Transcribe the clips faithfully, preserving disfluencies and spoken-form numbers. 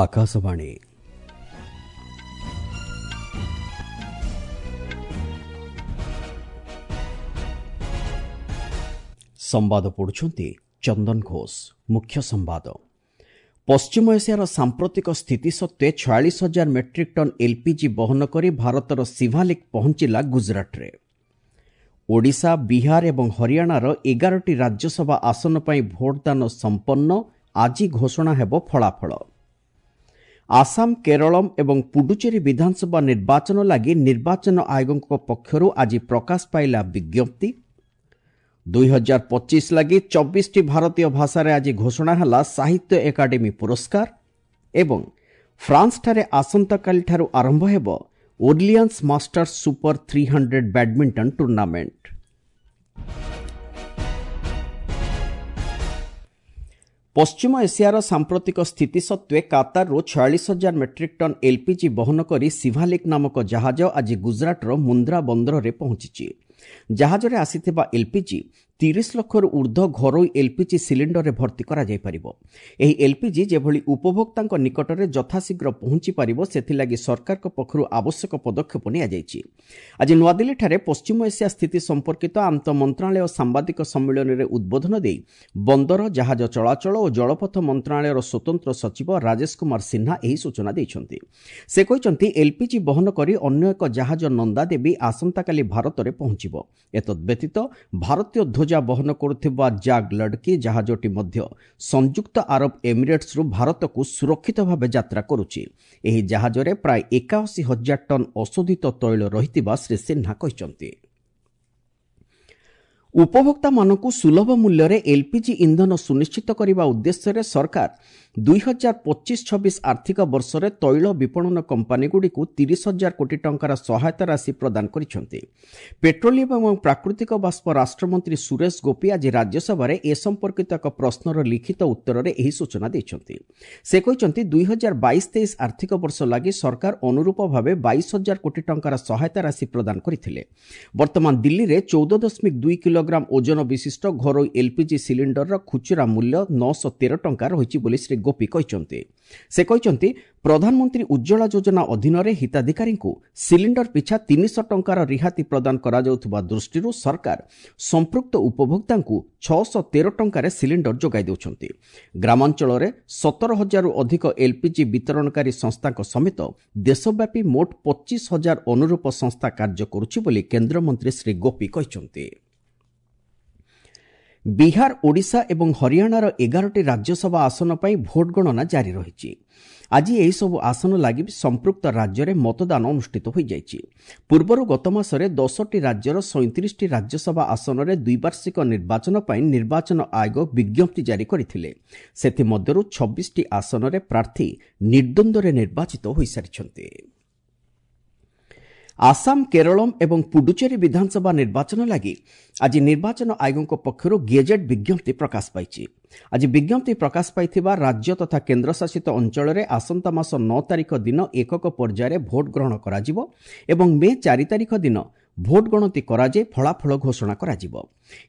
ଆକାଶବାଣୀ। ସମ୍ବାଦ ପଢ଼ୁଛନ୍ତି ଚନ୍ଦନ ଘୋଷ। ମୁଖ୍ୟ ସମ୍ବାଦ। ପଶ୍ଚିମ ଏସିଆର ସାମ୍ପ୍ରତିକ ସ୍ଥିତି ସତ୍ତ୍ୱେ ଛୟାଳିଶ ହଜାର ମେଟ୍ରିକ୍ ଟନ୍ ଏଲ୍ପିଜି ବହନ କରି ଭାରତର ସିଭାଲିକ୍ ପହଞ୍ଚିଲା ଗୁଜରାଟରେ। ଓଡ଼ିଶା, ବିହାର ଏବଂ ହରିୟାଣାର ଏଗାରଟି ରାଜ୍ୟସଭା ଆସନ ପାଇଁ ଭୋଟଦାନ ସମ୍ପନ୍ନ, ଆଜି ଘୋଷଣା ହେବ ଫଳାଫଳ। ଆସାମ, କେରଳମ୍ ଏବଂ ପୁଡୁଚେରୀ ବିଧାନସଭା ନିର୍ବାଚନ ଲାଗି ନିର୍ବାଚନ ଆୟୋଗଙ୍କ ପକ୍ଷରୁ ଆଜି ପ୍ରକାଶ ପାଇଲା ବିଜ୍ଞପ୍ତି। ଦୁଇ ହଜାର ପଚିଶ ଲାଗି ଚବିଶଟି ଭାରତୀୟ ଭାଷାରେ ଆଜି ଘୋଷଣା ହେଲା ସାହିତ୍ୟ ଏକାଡେମୀ ପୁରସ୍କାର। ଏବଂ ଫ୍ରାନ୍ସଠାରେ ଆସନ୍ତାକାଲିଠାରୁ ଆରମ୍ଭ ହେବ Orleans Masters super three hundred badminton tournament. ପଶ୍ଚିମ ଏସିଆର ସାମ୍ପ୍ରତିକ ସ୍ଥିତି ସତ୍ତ୍ୱେ କାତାରରୁ ଛୟାଳିଶ ହଜାର ମେଟ୍ରିକ୍ ଟନ୍ ଏଲ୍ପିଜି ବହନ କରି ସିଭାଲିକ୍ ନାମକ ଜାହାଜ ଆଜି ଗୁଜରାଟର ମୁନ୍ଦ୍ରା ବନ୍ଦରରେ ପହଞ୍ଚିଛି। ଜାହାଜରେ ଆସିଥିବା ଏଲ୍ପିଜି ତିରିଶ ଲକ୍ଷରୁ ଊର୍ଦ୍ଧ୍ୱ ଘରୋଇ ଏଲ୍ପିଜି ସିଲିଣ୍ଡରରେ ଭର୍ତ୍ତି କରାଯାଇପାରିବ। ଏହି ଏଲ୍ପିଜି ଯେଭଳି ଉପଭୋକ୍ତାଙ୍କ ନିକଟରେ ଯଥାଶୀଘ୍ର ପହଞ୍ଚିପାରିବ ସେଥିଲାଗି ସରକାରଙ୍କ ପକ୍ଷରୁ ଆବଶ୍ୟକ ପଦକ୍ଷେପ ନିଆଯାଇଛି। ଆଜି ନୂଆଦିଲ୍ଲୀଠାରେ ପଶ୍ଚିମ ଏସିଆ ସ୍ଥିତି ସମ୍ପର୍କିତ ଆନ୍ତଃ ମନ୍ତ୍ରଣାଳୟ ସାମ୍ବାଦିକ ସମ୍ମିଳନୀରେ ଉଦ୍ବୋଧନ ଦେଇ ବନ୍ଦର, ଜାହାଜ ଚଳାଚଳ ଓ ଜଳପଥ ମନ୍ତ୍ରଣାଳୟର ସ୍ୱତନ୍ତ୍ର ସଚିବ ରାଜେଶ କୁମାର ସିହ୍ନା ଏହି ସୂଚନା ଦେଇଛନ୍ତି। ସେ କହିଛନ୍ତି, ଏଲ୍ପିଜି ବହନ କରି ଅନ୍ୟ ଏକ ଜାହାଜ ନନ୍ଦାଦେବୀ ଆସନ୍ତାକାଲି ଭାରତରେ ପହଞ୍ଚିବ। ଏତଦ୍ବ୍ୟତୀତ ଭାରତୀୟ ଧ୍ୱଜା ବହନ କରୁଥିବା ଜାଗ୍ ଲଡକି ଜାହାଜଟି ମଧ୍ୟ ସଂଯୁକ୍ତ ଆରବ ଏମିରେଟ୍ସରୁ ଭାରତକୁ ସୁରକ୍ଷିତ ଭାବେ ଯାତ୍ରା କରୁଛି। ଏହି ଜାହାଜରେ ପ୍ରାୟ ଏକାଅଶୀ ହଜାର ଟନ୍ ଅଶୋଧିତ ତୈଳ ରହିଥିବା ଶ୍ରୀ ସିହ୍ନା କହିଛନ୍ତି। ଉପଭୋକ୍ତାମାନଙ୍କୁ ସୁଲଭ ମୂଲ୍ୟରେ ଏଲ୍ପିଜି ଇନ୍ଧନ ସୁନିଶ୍ଚିତ କରିବା ଉଦ୍ଦେଶ୍ୟରେ ସରକାର ଦୁଇ ହଜାର ପଚିଶ ଛବିଶ ଆର୍ଥିକ ବର୍ଷରେ ତୈଳ ବିପଣନ କମ୍ପାନୀଗୁଡ଼ିକୁ ତିରିଶ ହଜାର କୋଟି ଟଙ୍କାର ସହାୟତା ରାଶି ପ୍ରଦାନ କରିଛନ୍ତି। ପେଟ୍ରୋଲିୟମ ଏବଂ ପ୍ରାକୃତିକ ବାଷ୍ପ ରାଷ୍ଟ୍ରମନ୍ତ୍ରୀ ସୁରେଶ ଗୋପୀ ଆଜି ରାଜ୍ୟସଭାରେ ଏ ସମ୍ପର୍କିତ ଏକ ପ୍ରଶ୍ନର ଲିଖିତ ଉତ୍ତରରେ ଏହି ସୂଚନା ଦେଇଛନ୍ତି। ସେ କହିଛନ୍ତି, ଦୁଇ ହଜାର ବାଇଶ ତେଇଶ ଆର୍ଥିକ ବର୍ଷ ଲାଗି ସରକାର ଅନୁରୂପ ଭାବେ ବାଇଶ ହଜାର କୋଟି ଟଙ୍କାର ସହାୟତା ରାଶି ପ୍ରଦାନ କରିଥିଲେ। ବର୍ତ୍ତମାନ ଦିଲ୍ଲୀରେ ଚଉଦ ଦଶମିକ ଦୁଇ କିଲୋଗ୍ରାମ ଓଜନ ବିଶିଷ୍ଟ ଘରୋଇ ଏଲ୍ପିଜି ସିଲିଣ୍ଡରର ଖୁଚୁରା ମୂଲ୍ୟ ନଅଶହ ତେର ଟଙ୍କା ରହିଛି ବୋଲି ଶ୍ରୀ ଗୋପୀ କହିଛନ୍ତି। ସେ କହିଛନ୍ତି, ପ୍ରଧାନମନ୍ତ୍ରୀ ଉଜ୍ଜ୍ୱଳା ଯୋଜନା ଅଧୀନରେ ହିତାଧିକାରୀଙ୍କୁ ସିଲିଣ୍ଡର ପିଛା ତିନିଶହ ଟଙ୍କାର ରିହାତି ପ୍ରଦାନ କରାଯାଉଥିବା ଦୃଷ୍ଟିରୁ ସରକାର ସମ୍ପୃକ୍ତ ଉପଭୋକ୍ତାଙ୍କୁ ଛଅଶହ ତେର ଟଙ୍କାରେ ସିଲିଣ୍ଡର ଯୋଗାଇ ଦେଉଛନ୍ତି। ଗ୍ରାମାଞ୍ଚଳରେ ସତର ହଜାରରୁ ଅଧିକ ଏଲ୍ପିଜି ବିତରଣକାରୀ ସଂସ୍ଥାଙ୍କ ସମେତ ଦେଶବ୍ୟାପୀ ମୋଟ ପଚିଶ ହଜାର ଅନୁରୂପ ସଂସ୍ଥା କାର୍ଯ୍ୟ କରୁଛି ବୋଲି କେନ୍ଦ୍ରମନ୍ତ୍ରୀ ଶ୍ରୀ ଗୋପୀ କହିଛନ୍ତି। ବିହାର, ଓଡ଼ିଶା ଏବଂ ହରିୟାଣାର ଏଗାରଟି ରାଜ୍ୟସଭା ଆସନ ପାଇଁ ଭୋଟ ଗଣନା ଜାରି ରହିଛି। ଆଜି ଏହିସବୁ ଆସନ ଲାଗି ସମ୍ପୃକ୍ତ ରାଜ୍ୟରେ ମତଦାନ ଅନୁଷ୍ଠିତ ହୋଇଯାଇଛି। ପୂର୍ବରୁ ଗତ ମାସରେ ଦଶଟି ରାଜ୍ୟର ସଇଁତିରିଶଟି ରାଜ୍ୟସଭା ଆସନରେ ଦ୍ୱିବାର୍ଷିକ ନିର୍ବାଚନ ପାଇଁ ନିର୍ବାଚନ ଆୟୋଗ ବିଜ୍ଞପ୍ତି ଜାରି କରିଥିଲେ। ସେଥିମଧ୍ୟରୁ ଛବିଶଟି ଆସନରେ ପ୍ରାର୍ଥୀ ନିର୍ଦ୍ୱନ୍ଦ୍ୱରେ ନିର୍ବାଚିତ ହୋଇସାରିଛନ୍ତି। ଆସାମ, କେରଳମ୍ ଏବଂ ପୁଡୁଚେରୀ ବିଧାନସଭା ନିର୍ବାଚନ ଲାଗି ଆଜି ନିର୍ବାଚନ ଆୟୋଗଙ୍କ ପକ୍ଷରୁ ଗେଜେଟ୍ ବିଜ୍ଞପ୍ତି ପ୍ରକାଶ ପାଇଛି। ଆଜି ବିଜ୍ଞପ୍ତି ପ୍ରକାଶ ପାଇଥିବା ରାଜ୍ୟ ତଥା କେନ୍ଦ୍ରଶାସିତ ଅଞ୍ଚଳରେ ଆସନ୍ତା ମାସ ନଅ ତାରିଖ ଦିନ ଏକକ ପର୍ଯ୍ୟାୟରେ ଭୋଟ ଗ୍ରହଣ କରାଯିବ ଏବଂ ମେ ଚାରି ତାରିଖ ଦିନ ଭୋଟ ଗଣତି କରାଯାଇ ଫଳାଫଳ ଘୋଷଣା କରାଯିବ।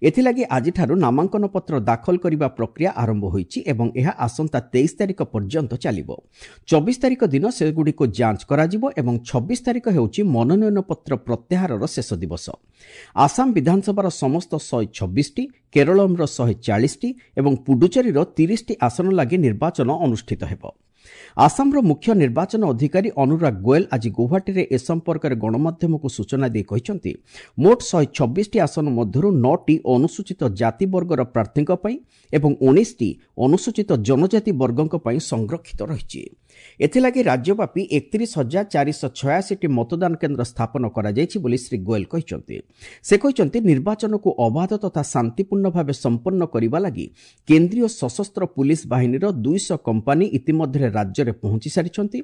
ଏଥିଲାଗି ଆଜିଠାରୁ ନାମାଙ୍କନପତ୍ର ଦାଖଲ କରିବା ପ୍ରକ୍ରିୟା ଆରମ୍ଭ ହୋଇଛି ଏବଂ ଏହା ଆସନ୍ତା ତେଇଶ ତାରିଖ ପର୍ଯ୍ୟନ୍ତ ଚାଲିବ। ଚବିଶ ତାରିଖ ଦିନ ସେଗୁଡ଼ିକୁ ଯାଞ୍ଚ କରାଯିବ ଏବଂ ଛବିଶ ତାରିଖ ହେଉଛି ମନୋନୟନପତ୍ର ପ୍ରତ୍ୟାହାରର ଶେଷ ଦିବସ। ଆସାମ ବିଧାନସଭାର ସମସ୍ତ ଶହେ ଛବିଶଟି, କେରଳମର ଶହେ ଚାଳିଶଟି ଏବଂ ପୁଡୁଚେରୀର ତିରିଶଟି ଆସନ ଲାଗି ନିର୍ବାଚନ ଅନୁଷ୍ଠିତ ହେବ। ଆସାମର ମୁଖ୍ୟ ନିର୍ବାଚନ ଅଧିକାରୀ ଅନୁରାଗ ଗୋଏଲ ଆଜି ଗୌହାଟୀରେ ଏ ସମ୍ପର୍କରେ ଗଣମାଧ୍ୟମକୁ ସୂଚନା ଦେଇ କହିଛନ୍ତି, ମୋଟ ଶହେ ଛବିଶଟି ଆସନ ମଧ୍ୟରୁ ନଅଟି ଅନୁସୂଚିତ ଜାତି ବର୍ଗର ପ୍ରାର୍ଥୀଙ୍କ ପାଇଁ ଏବଂ ଉଣେଇଶଟି ଅନୁସୂଚିତ ଜନଜାତି ବର୍ଗଙ୍କ ପାଇଁ ସଂରକ୍ଷିତ ରହିଛି। ଏଥିଲାଗି ରାଜ୍ୟବ୍ୟାପୀ ଏକତିରିଶ ହଜାର ଚାରିଶହ ଛୟାଅଶୀଟି ମତଦାନ କେନ୍ଦ୍ର ସ୍ଥାପନ କରାଯାଇଛି ବୋଲି ଶ୍ରୀ ଗୋଏଲ କହିଛନ୍ତି। ସେ କହିଛନ୍ତି, ନିର୍ବାଚନକୁ ଅବାଧ ତଥା ଶାନ୍ତିପୂର୍ଣ୍ଣ ଭାବେ ସମ୍ପନ୍ନ କରିବା ଲାଗି କେନ୍ଦ୍ରୀୟ ସଶସ୍ତ୍ର ପୁଲିସ ବାହିନୀର ଦୁଇଶହ କମ୍ପାନୀ ଇତିମଧ୍ୟରେ ରାଜ୍ୟରେ ପହଞ୍ଚି ସାରିଛନ୍ତି।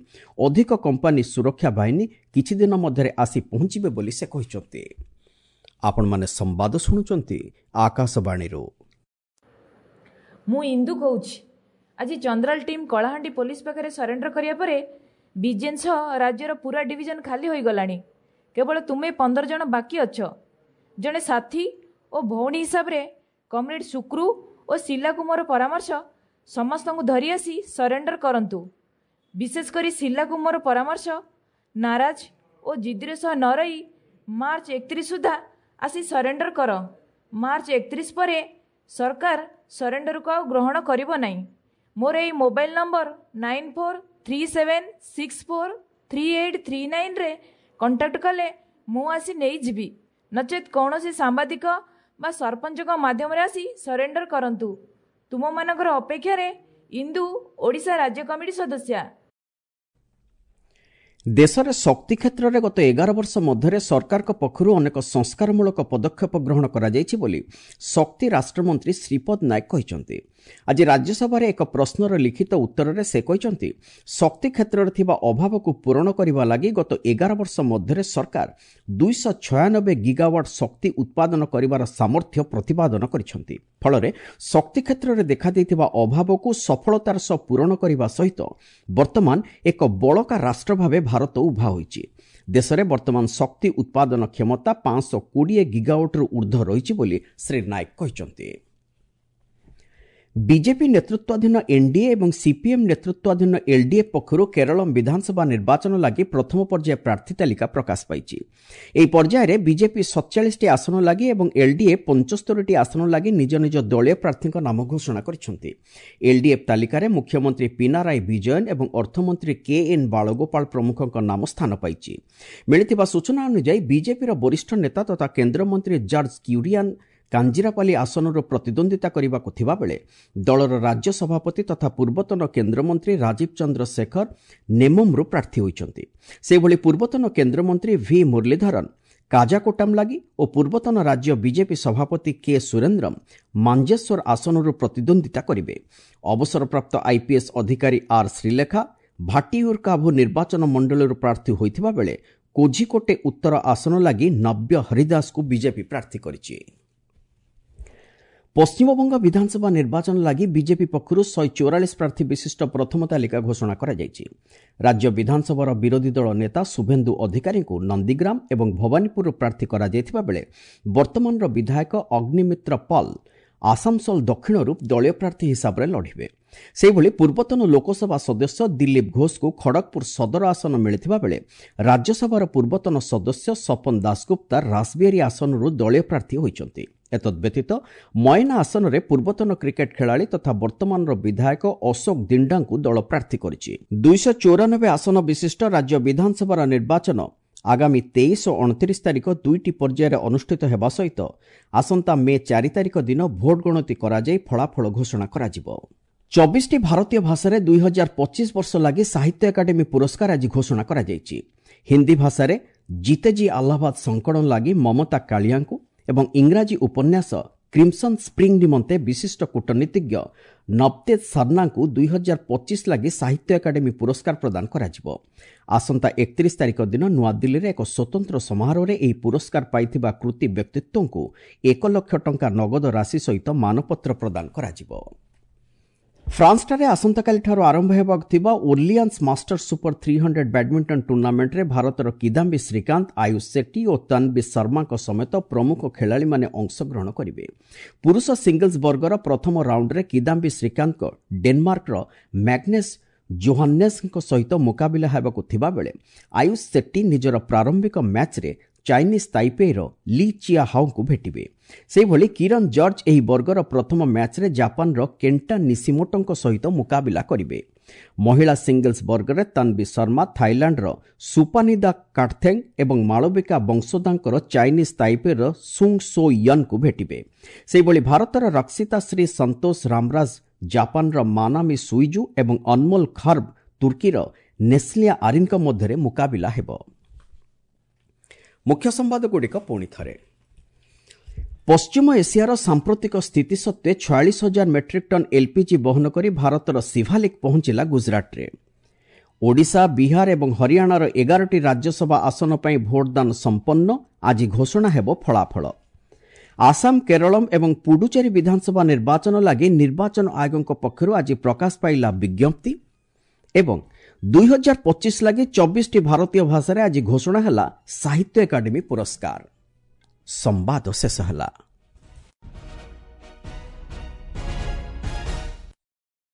ଅଧିକ କମ୍ପାନୀ ସୁରକ୍ଷା ବାହିନୀ କିଛି ଦିନ ମଧ୍ୟରେ ଆସି ପହଞ୍ଚିବେ ବୋଲି ସେ କହିଛନ୍ତି। ଆପଣମାନେ ସମ୍ବାଦ ଶୁଣୁଛନ୍ତି ଆକାଶବାଣୀରୁ। ମୁଁ ଇନ୍ଦୁ କହୁଛି। ଆଜି ଚନ୍ଦ୍ରାଲ ଟିମ୍ କଳାହାଣ୍ଡି ପୋଲିସ ପାଖରେ ସରେଣ୍ଡର କରିବା ପରେ ବିଜେନ୍ ସହ ରାଜ୍ୟର ପୁରା ଡିଭିଜନ ଖାଲି ହୋଇଗଲାଣି। କେବଳ ତୁମେ ପନ୍ଦର ଜଣ ବାକି ଅଛ। ଜଣେ ସାଥୀ ଓ ଭଉଣୀ ହିସାବରେ କମ୍ରେଡ୍ ସୁକ୍ରୁ ଓ ଶିଲାକୁ ମୋର ପରାମର୍ଶ, ସମସ୍ତଙ୍କୁ ଧରି ଆସି ସରେଣ୍ଡର କରନ୍ତୁ। ବିଶେଷ କରି ଶିଲାକୁ ମୋର ପରାମର୍ଶ, ନାରାଜ ଓ ଜିଦ୍ଦିର ସହ ନ ରହି ମାର୍ଚ୍ଚ ଏକତିରିଶ ସୁଦ୍ଧା ଆସି ସରେଣ୍ଡର କର। ମାର୍ଚ୍ଚ ଏକତିରିଶ ପରେ ସରକାର ସରେଣ୍ଡରକୁ ଆଉ ଗ୍ରହଣ କରିବ ନାହିଁ। ମୋର ଏଇ mobile number nine four three seven six four three eight three ନାଇନ୍ରେ contact କଲେ ମୁଁ ଆସି ନେଇଯିବି, ନଚେତ୍ କୌଣସି ସାମ୍ବାଦିକ ବା ସରପଞ୍ଚଙ୍କ ମାଧ୍ୟମରେ ଆସି ସରେଣ୍ଡର କରନ୍ତୁ। ତୁମମାନଙ୍କର ଅପେକ୍ଷାରେ ଇନ୍ଦୁ, ଓଡ଼ିଶା ରାଜ୍ୟ କମିଟି ସଦସ୍ୟା। ଦେଶରେ ଶକ୍ତି କ୍ଷେତ୍ରରେ ଗତ ଏଗାର ବର୍ଷ ମଧ୍ୟରେ ସରକାରଙ୍କ ପକ୍ଷରୁ ଅନେକ ସଂସ୍କାରମୂଳକ ପଦକ୍ଷେପ ଗ୍ରହଣ କରାଯାଇଛି ବୋଲି ଶକ୍ତି ରାଷ୍ଟ୍ରମନ୍ତ୍ରୀ ଶ୍ରୀପଦ ନାୟକ କହିଛନ୍ତି। ଆଜି ରାଜ୍ୟସଭାରେ ଏକ ପ୍ରଶ୍ନର ଲିଖିତ ଉତ୍ତରରେ ସେ କହିଛନ୍ତି, ଶକ୍ତି କ୍ଷେତ୍ରରେ ଥିବା ଅଭାବକୁ ପୂରଣ କରିବା ଲାଗି ଗତ ଏଗାର ବର୍ଷ ମଧ୍ୟରେ ସରକାର ଦୁଇଶହ ଛୟାନବେ ଗିଗାୱାଟ୍ ଶକ୍ତି ଉତ୍ପାଦନ କରିବାର ସାମର୍ଥ୍ୟ ପ୍ରତିପାଦନ କରିଛନ୍ତି। ଫଳରେ ଶକ୍ତି କ୍ଷେତ୍ରରେ ଦେଖାଦେଇଥିବା ଅଭାବକୁ ସଫଳତାର ସହ ପୂରଣ କରିବା ସହିତ ବର୍ତ୍ତମାନ ଏକ ବଳକା ରାଷ୍ଟ୍ର ଭାବେ ଭାରତ ଉଭା ହୋଇଛି। ଦେଶରେ ବର୍ତ୍ତମାନ ଶକ୍ତି ଉତ୍ପାଦନ କ୍ଷମତା ପାଞ୍ଚଶହ କୋଡ଼ିଏ ଗିଗାୱାଟ୍ରୁ ଉର୍ଦ୍ଧ୍ୱ ରହିଛି ବୋଲି ଶ୍ରୀ ନାୟକ କହିଛନ୍ତି। ବିଜେପି ନେତୃତ୍ୱାଧୀନ ଏନ୍ଡିଏ ଏବଂ ସିପିଏମ୍ ନେତୃତ୍ୱାଧୀନ ଏଲ୍ଡିଏଫ୍ ପକ୍ଷରୁ କେରଳ ବିଧାନସଭା ନିର୍ବାଚନ ଲାଗି ପ୍ରଥମ ପର୍ଯ୍ୟାୟ ପ୍ରାର୍ଥୀ ତାଲିକା ପ୍ରକାଶ ପାଇଛି। ଏହି ପର୍ଯ୍ୟାୟରେ ବିଜେପି ସତଚାଳିଶଟି ଆସନ ଲାଗି ଏବଂ ଏଲ୍ଡିଏ ପଞ୍ଚସ୍ତରୀଟି ଆସନ ଲାଗି ନିଜ ନିଜ ଦଳୀୟ ପ୍ରାର୍ଥୀଙ୍କ ନାମ ଘୋଷଣା କରିଛନ୍ତି। ଏଲ୍ଡିଏଫ୍ ତାଲିକାରେ ମୁଖ୍ୟମନ୍ତ୍ରୀ ପିନାରାଇ ବିଜୟନ୍ ଏବଂ ଅର୍ଥମନ୍ତ୍ରୀ କେ ଏନ୍ ବାଳଗୋପାଳ ପ୍ରମୁଖଙ୍କ ନାମ ସ୍ଥାନ ପାଇଛି। ମିଳିଥିବା ସୂଚନା ଅନୁଯାୟୀ ବିଜେପିର ବରିଷ୍ଠ ନେତା ତଥା କେନ୍ଦ୍ରମନ୍ତ୍ରୀ ଜର୍ଜ କ୍ୟୁରିଆନ୍ କାଞ୍ଜିରାପାଲି ଆସନରୁ ପ୍ରତିଦ୍ୱନ୍ଦ୍ୱିତା କରିବାକୁ ଥିବାବେଳେ ଦଳର ରାଜ୍ୟ ସଭାପତି ତଥା ପୂର୍ବତନ କେନ୍ଦ୍ରମନ୍ତ୍ରୀ ରାଜୀବ ଚନ୍ଦ୍ରଶେଖର ନେମମ୍ରୁ ପ୍ରାର୍ଥୀ ହୋଇଛନ୍ତି। ସେହିଭଳି ପୂର୍ବତନ କେନ୍ଦ୍ରମନ୍ତ୍ରୀ ଭି ମୁରଲୀଧରନ୍ କାଜାକୋଟାମ୍ ଲାଗି ଓ ପୂର୍ବତନ ରାଜ୍ୟ ବିଜେପି ସଭାପତି କେ ସୁରେନ୍ଦ୍ରମ୍ ମାଞ୍ଜେଶ୍ୱର ଆସନରୁ ପ୍ରତିଦ୍ୱନ୍ଦ୍ୱିତା କରିବେ। ଅବସରପ୍ରାପ୍ତ ଆଇପିଏସ୍ ଅଧିକାରୀ ଆର୍ ଶ୍ରୀଲେଖା ଭାଟିୟୁରକାଭୁ ନିର୍ବାଚନ ମଣ୍ଡଳୀରୁ ପ୍ରାର୍ଥୀ ହୋଇଥିବା ବେଳେ କୋଝିକୋଟେ ଉତ୍ତର ଆସନ ଲାଗି ନବ୍ୟ ହରିଦାସଙ୍କୁ ବିଜେପି ପ୍ରାର୍ଥୀ କରିଛି। ପଶ୍ଚିମବଙ୍ଗ ବିଧାନସଭା ନିର୍ବାଚନ ଲାଗି ବିଜେପି ପକ୍ଷରୁ ଶହେ ଚଉରାଳିଶ ପ୍ରାର୍ଥୀ ବିଶିଷ୍ଟ ପ୍ରଥମ ତାଲିକା ଘୋଷଣା କରାଯାଇଛି। ରାଜ୍ୟ ବିଧାନସଭାର ବିରୋଧୀ ଦଳ ନେତା ଶୁଭେନ୍ଦୁ ଅଧିକାରୀଙ୍କୁ ନନ୍ଦୀଗ୍ରାମ ଏବଂ ଭବାନୀପୁରରୁ ପ୍ରାର୍ଥୀ କରାଯାଇଥିବା ବେଳେ ବର୍ତ୍ତମାନର ବିଧାୟକ ଅଗ୍ନିମିତ୍ର ପାଲ ଆସାମସୋଲ ଦକ୍ଷିଣରୁ ଦଳୀୟ ପ୍ରାର୍ଥୀ ହିସାବରେ ଲଢ଼ିବେ। ସେହିଭଳି ପୂର୍ବତନ ଲୋକସଭା ସଦସ୍ୟ ଦିଲ୍ଲୀପ ଘୋଷଙ୍କୁ ଖଡ଼ଗପୁର ସଦର ଆସନ ମିଳିଥିବା ବେଳେ ରାଜ୍ୟସଭାର ପୂର୍ବତନ ସଦସ୍ୟ ସପନ ଦାସଗୁପ୍ତା ରାସବିହାରୀ ଆସନରୁ ଦଳୀୟ ପ୍ରାର୍ଥୀ ହୋଇଛନ୍ତି। ଏତଦ୍ବ୍ୟତୀତ ମୟନା ଆସନରେ ପୂର୍ବତନ କ୍ରିକେଟ ଖେଳାଳି ତଥା ବର୍ତ୍ତମାନର ବିଧାୟକ ଅଶୋକ ଦିଣ୍ଡାଙ୍କୁ ଦଳ ପ୍ରାର୍ଥୀ କରିଛି। ଦୁଇଶହ ଚଉରାନବେ ଆସନ ବିଶିଷ୍ଟ ରାଜ୍ୟ ବିଧାନସଭାର ନିର୍ବାଚନ ଆଗାମୀ ତେଇଶ ଓ ଅଣତିରିଶ ତାରିଖ ଦୁଇଟି ପର୍ଯ୍ୟାୟରେ ଅନୁଷ୍ଠିତ ହେବା ସହିତ ଆସନ୍ତା ମେ ଚାରି ତାରିଖ ଦିନ ଭୋଟ ଗଣତି କରାଯାଇ ଫଳାଫଳ ଘୋଷଣା କରାଯିବ। ଚବିଶଟି ଭାରତୀୟ ଭାଷାରେ ଦୁଇ ହଜାର ପଚିଶ ବର୍ଷ ଲାଗି ସାହିତ୍ୟ ଏକାଡେମୀ ପୁରସ୍କାର ଆଜି ଘୋଷଣା କରାଯାଇଛି। ହିନ୍ଦୀ ଭାଷାରେ ଜିତେଜୀ ଆହ୍ଲାବାଦ ସଂକଳନ ଲାଗି ମମତା କାଳିଆଙ୍କୁ ଏବଂ ଇଂରାଜୀ ଉପନ୍ୟାସ କ୍ରିମ୍ସନ୍ ସ୍ପ୍ରିଙ୍ଗ ନିମନ୍ତେ ବିଶିଷ୍ଟ କୂଟନୀତିଜ୍ଞ ନବତେଜ ସର୍ନାଙ୍କୁ ଦୁଇ ହଜାର ପଚିଶ ଲାଗି ସାହିତ୍ୟ ଏକାଡେମୀ ପୁରସ୍କାର ପ୍ରଦାନ କରାଯିବ। ଆସନ୍ତା ଏକତିରିଶ ତାରିଖ ଦିନ ନୂଆଦିଲ୍ଲୀରେ ଏକ ସ୍ୱତନ୍ତ୍ର ସମାରୋହରେ ଏହି ପୁରସ୍କାର ପାଇଥିବା କୃତି ବ୍ୟକ୍ତିତ୍ୱଙ୍କୁ ଏକ ଲକ୍ଷ ଟଙ୍କା ନଗଦ ରାଶି ସହିତ ମାନପତ୍ର ପ୍ରଦାନ କରାଯିବ। ଫ୍ରାନ୍ସଠାରେ ଆସନ୍ତାକାଲିଠାରୁ ଆରମ୍ଭ ହେବାକୁ ଥିବା Orleans Masters super three hundred badminton ଟୁର୍ଣ୍ଣାମେଣ୍ଟରେ ଭାରତର କିଦାମ୍ବି ଶ୍ରୀକାନ୍ତ, ଆୟୁଷ ସେଟ୍ଟି ଓ ତନ୍ବୀ ଶର୍ମାଙ୍କ ସମେତ ପ୍ରମୁଖ ଖେଳାଳିମାନେ ଅଂଶଗ୍ରହଣ କରିବେ। ପୁରୁଷ ସିଙ୍ଗଲ୍ସ ବର୍ଗର ପ୍ରଥମ ରାଉଣ୍ଡରେ କିଦାମ୍ବି ଶ୍ରୀକାନ୍ତଙ୍କ ଡେନମାର୍କର ମ୍ୟାଗ୍ନେସ୍ ଜୋହାନ୍ନେସ୍ଙ୍କ ସହିତ ମୁକାବିଲା ହେବାକୁ ଥିବାବେଳେ ଆୟୁଷ ସେଟ୍ଟି ନିଜର ପ୍ରାରମ୍ଭିକ ମ୍ୟାଚ୍ରେ ଚାଇନିଜ୍ ତାଇପେଇର ଲି ଚିଆ ହାଓଙ୍କୁ ଭେଟିବେ। ସେହିଭଳି କିରଣ ଜର୍ଜ ଏହି ବର୍ଗର ପ୍ରଥମ ମ୍ୟାଚ୍ରେ ଜାପାନର କେଣ୍ଟା ନିସିମୋଟୋଙ୍କ ସହିତ ମୁକାବିଲା କରିବେ। ମହିଳା ସିଙ୍ଗଲ୍ସ ବର୍ଗରେ ତନ୍ବୀ ଶର୍ମା ଥାଇଲାଣ୍ଡର ସୁପାନିଦା କାଟଥେଙ୍ଗ ଏବଂ ମାଳବିକା ବଂଶୋଦାଙ୍କର ଚାଇନିଜ୍ ତାଇପେଇର ସୁଙ୍ଗ ସୋ ୟନ୍ଙ୍କୁ ଭେଟିବେ। ସେହିଭଳି ଭାରତର ରକ୍ଷିତା ଶ୍ରୀ ସନ୍ତୋଷ ରାମରାଜ ଜାପାନର ମାନାମି ସୁଇଜୁ ଏବଂ ଅନମୋଲ ଖର୍ବ ତୁର୍କୀର ନେସ୍ଲିଆ ଆରିନ୍ଙ୍କ ମଧ୍ୟରେ ମୁକାବିଲା ହେବ। ମୁଖ୍ୟ ସମ୍ବାଦଗୁଡ଼ିକ ପୁଣି ଥରେ। ପଶ୍ଚିମ ଏସିଆର ସାମ୍ପ୍ରତିକ ସ୍ଥିତି ସତ୍ତ୍ୱେ ଛୟାଳିଶ ହଜାର ମେଟ୍ରିକ୍ ଟନ୍ ଏଲ୍ପିଜି ବହନ କରି ଭାରତର ସିଭାଲିକ୍ ପହଞ୍ଚିଲା ଗୁଜରାଟରେ। ଓଡ଼ିଶା, ବିହାର ଏବଂ ହରିୟାଣାର ଏଗାରଟି ରାଜ୍ୟସଭା ଆସନ ପାଇଁ ଭୋଟଦାନ ସମ୍ପନ୍ନ, ଆଜି ଘୋଷଣା ହେବ ଫଳାଫଳ। ଆସାମ, କେରଳମ୍ ଏବଂ ପୁଡୁଚେରୀ ବିଧାନସଭା ନିର୍ବାଚନ ଲାଗି ନିର୍ବାଚନ ଆୟୋଗଙ୍କ ପକ୍ଷରୁ ଆଜି ପ୍ରକାଶ ପାଇଲା ବିଜ୍ଞପ୍ତି। ଏବଂ ଦୁଇ ହଜାର ପଚିଶ ଲାଗି ଚବିଶଟି ଭାରତୀୟ ଭାଷାରେ ଆଜି ଘୋଷଣା ହେଲା ସାହିତ୍ୟ ଏକାଡେମୀ ପୁରସ୍କାର। ସମ୍ବାଦ ଶେଷ ହେଲା।